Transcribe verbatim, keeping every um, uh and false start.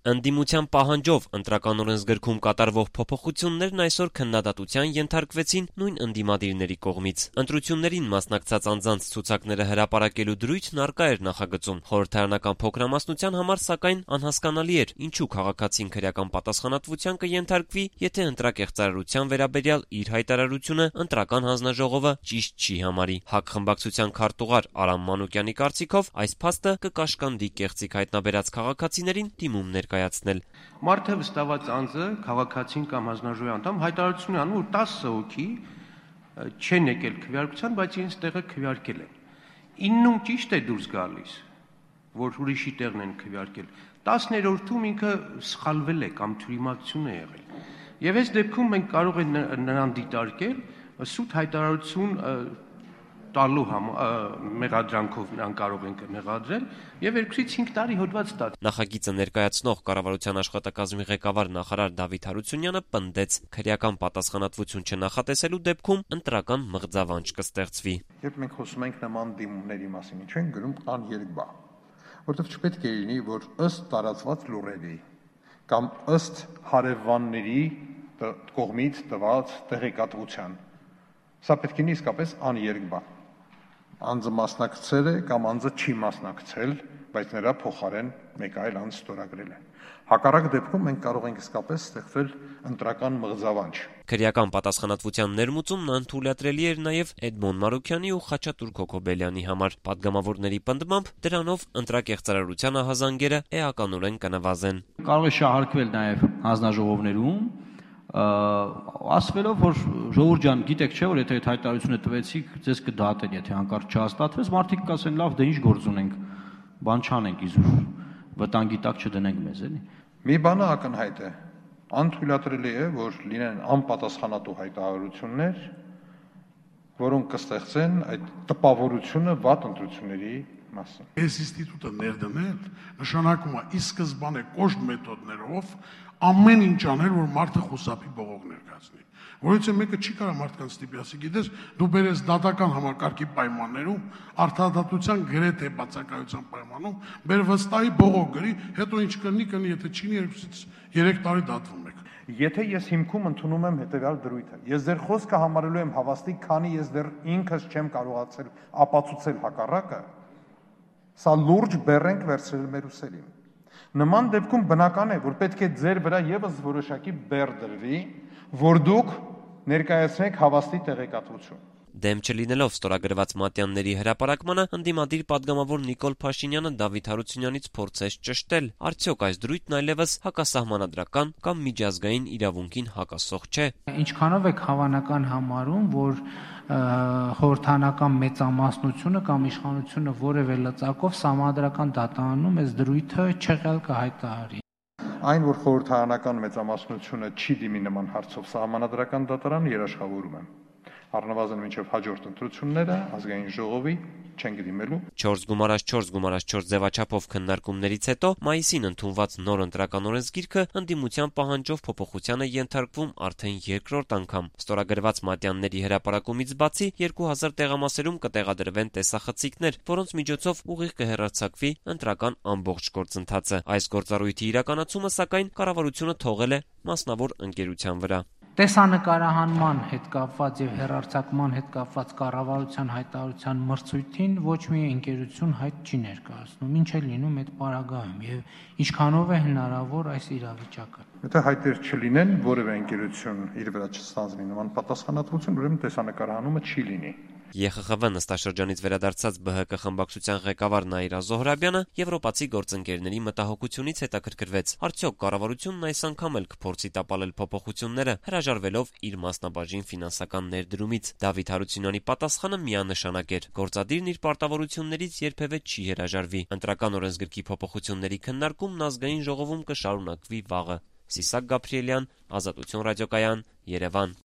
Ընդդիմության պահանջով ընտրական օրենսգրքում կատարվող փոփոխություններն այսօր քննադատության ենթարկվեցին նույն ընդդիմադիրների կողմից։ Ընտրություններին մասնակցած անձանց ցուցակները հրապարակելու դրույթն առկա էր նախագծում։ Խորհրդարանական փոքրամասնության համար, սակայն, անհասկանալի էր, ինչու քաղաքացին քրեական պատասխանատվության կենթարկվի, եթե ընտրակեղծարարության վերաբերյալ իր հայտարարությունը ընտրական հանձնաժողովը ճիշտ չի համարի։ ՀԱԿ խմբակցության քարտուղար Արամ Մանուկյանի կարծիքով այս փաստը կկաշկանդի կեղծիք հայտնաբերած քաղաքացիներին դիմում ներկայացնել։ Մարդը վստահված անձը, քաղաքացին կամ հանձնաժողովի անդամ հայտարարություն անում, որ տասը հոգի չեն եկել քվեարկության, բայց իրենց տեղը քվեարկել են։ իննում ճիշտ է դուրս գալիս, որ ուրիշի տեղն են քվեարկել։ տասներորդում ինքը սխալվել է կամ թյուրիմացություն է եղել։ Եվ այս դեպքում մենք կարող ենք նրան դիտարկել սուտ հայտարարություն տալու մեղադրանքով նրան կարող ենք մեղադրել եւ երկուսից հինգ տարի հոդված տալ։ Նախագիծը ներկայացնող կառավարության աշխատակազմի ղեկավար նախարար Դավիթ Հարությունյանը պնդեց, քրեական պատասխանատվություն չնախատեսելու դեպքում ընտրական մղձավանջ կստեղծվի։ Երբ մենք խոսում ենք նման դիմումների մասին, ինչ են գրում աներկբա, որտեղ չպետք է լինի, որ ըստ տարածված լուրերի կամ ըստ հարևանների կողմից տված տեղեկատվության, սա պետք է լինի իսկապես աներկբա։ Անձը մասնակցել է կամ անձը չի մասնակցել, բայց նրա փոխարեն մեկ այլ անձ ստորագրել է։ Հակառակ դեպքում մենք կարող ենք իսկապես ստեղծել ընտրական մղձավանջ։ Քրեական պատասխանատվության ներմուծումն անթույլատրելի էր նաև Էդմոն Մարուքյանի ու Խաչատուր Քոքոբելյանի համար։ Պատգամավորների պնդմամբ դրանով ընտրակեղծարարության ահազանգերը էականորեն կնվազեն։ Կարող է շահարկվել նաև հանձնաժողովներում, ասվելով, որ ժողովուրդ ջան, գիտեք չէ, որ եթե այդ հայտարարությունը տվեցիք, ձեզ կդատեն, եթե հանկարծ չհաստատվեց, մարդիկ կասեն, լավ, դե ինչ գործ ունենք, բան չանենք իզուր, վտանգի տակ չդնենք մեզ, էլի։ Մի բանը ակնհայտ է, անթույլատրելի է, որ լինեն անպատասխանատու հայտարարություններ, որոնք կստեղծեն այդ տպավորությունը վատ ընտրությունների մասին։ Այս ինստիտուտը ներդնել նշանակում է ի սկզբանե կոշտ մեթոդներով ամեն ինչ անել, որ մարդը խուսափի բողոք ներկայացնի։ Որից մեկը չի կարող մարդկանց ստիպի, ասի, գիտես, դու բերես դատական համակարգի պայմաններում, արդարադատության գրեթե բացակայության պայմանում, բեր վստահի բողոք գրի, հետո ինչ կլինի, կլինի, եթե չի երկուսից երեք տարի դատվում եք։ Եթե ես հիմքում ընդունում եմ հետևյալ դրույթը, ես ձեր խոսքը համարելու եմ հավաստիկ, քանի ես դեռ ինքս չեմ կարողացել ապացուցել հակառակը, սա լուրջ բեռ ենք վերցրել մեր ուսերին։ Նման դեպքում բնական է, որ պետք է ձեր վրա եւս որոշակի բեռ դրվի, որ դուք ներկայացնեք հավաստի տեղեկատվություն։ Դեմ չլինելով ստորագրված մատյանների հրապարակմանը, ընդդիմադիր պատգամավոր Նիկոլ Փաշինյանը Դավիթ Հարությունյանից փորձեց ճշտել, արդյոք այս դրույթն այլևս հակասահմանադրական կամ միջազգային իրավունքին հակասող չէ։ Ինչքանով եք հավանական համարում, որ խորհրդարանական մեծամասնությունը կամ իշխանությունը որևէ լծակով սահմանադրական դատարանում այս դրույթը չեղյալ կհայտարարի։ Այն, որ խորհրդարանական մեծամասնությունը չի դիմի նման հարցով սահմանադրական դատարան, երաշխավորում եմ։ Առնվազն մինչև հաջորդ ընտրությունները ազգային ժողովի չենք դիմելու։ չորս գումարած չորս գումարած չորս ձևաչափով քննարկումներից հետո մայիսին ընդունված նոր ընտրական օրենսգիրքը ընդդիմության պահանջով փոփոխությանը ենթարկվում արդեն երկրորդ անգամ։ Ստորագրված մատյանների հրապարակումից բացի երկու հազար տեղամասերում կտեղադրվեն տեսախցիկներ, որոնց միջոցով ուղիղ կհեռարձակվի ընտրական ամբողջ գործընթացը։ Այս գործառույթի իրականացումը, սակայն, կառավարությունը թողել է մասնավոր ընկերության վրա։ Տեսանկարահանման հետ կապված եւ հեռարձակման հետ կապված կառավարության հայտարարության մրցույթին ոչ մի ընկերություն հայտ չի ներկայացնում, ինչ է լինում այդ պարագայում եւ ինչքանով է հնարավոր այս իրավիճակը։ Եթե հայտեր չլինեն, որևէ ընկերություն իր վրա չստանձնի նման պատասխանատվություն, ուրեմն տեսանկարահանումը չի լինի։ ԵԽԽՎ նստաշրջանից վերադարձած ԲՀԿ խմբակցության ղեկավար Նաիրա Զոհրաբյանը եվրոպացի գործընկերների մտահոգությունից հետաքրքրվեց, արդյոք կառավարությունն այս անգամ էլ կփորձի տապալել փոփոխությունները, հրաժարվելով իր մասնաբաժին ֆինանսական ներդրումից։ Դավիթ Հարությունյանի պատասխանը միանշանակ էր. գործադիրն իր պարտավորություններից երբևէ չի հրաժարվի։ Ընտրական օրենսգրքի փոփոխությունների քննարկումն ազգային ժողովում կշարունակվի վաղը։ Սիսակ Գաբրիելյան, Ազատություն ռադիոկայան, Երևան։